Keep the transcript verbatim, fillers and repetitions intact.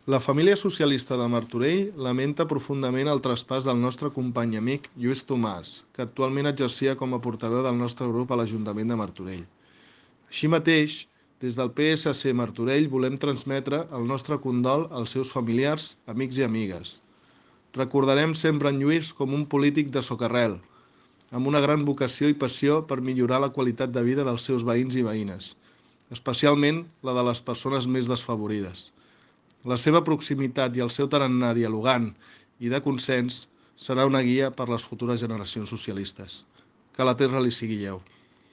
La família socialista de Martorell lamenta profundament el traspàs del nostre company i amic Lluís Tomàs, que actualment exercia com a portaveu del nostre grup a l'Ajuntament de Martorell. Així mateix, des del P S C Martorell volem transmetre el nostre condol als seus familiars, amics i amigues. Recordarem sempre en Lluís com un polític de socarrel, amb una gran vocació i passió per millorar la qualitat de vida dels seus veïns i veïnes, especialment la de les persones més desfavorides. La seva proximitat i el seu tarannà dialogant i de consens serà una guia per a les futures generacions socialistes. Que la terra li sigui lleu.